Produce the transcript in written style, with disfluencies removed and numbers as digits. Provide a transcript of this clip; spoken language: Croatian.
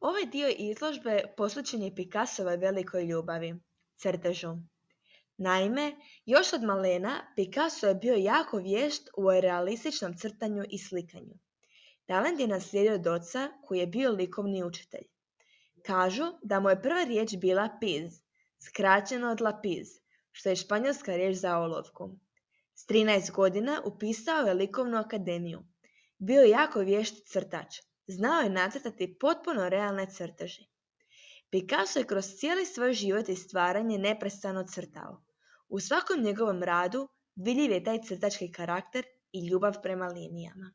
Ovaj dio izložbe posvećen je Picassovoj velikoj ljubavi, crtežu. Naime, još od malena Picasso je bio jako vješt u realističnom crtanju i slikanju. Talent je naslijedio od oca koji je bio likovni učitelj. Kažu da mu je prva riječ bila piz, skraćeno od lapiz, što je španjolska riječ za olovku. S 13 godina upisao je likovnu akademiju. Bio je jako vješt crtač. Znao je nacrtati potpuno realne crteže. Picasso je kroz cijeli svoj život i stvaranje neprestano crtao. U svakom njegovom radu vidljiv je taj crtački karakter i ljubav prema linijama.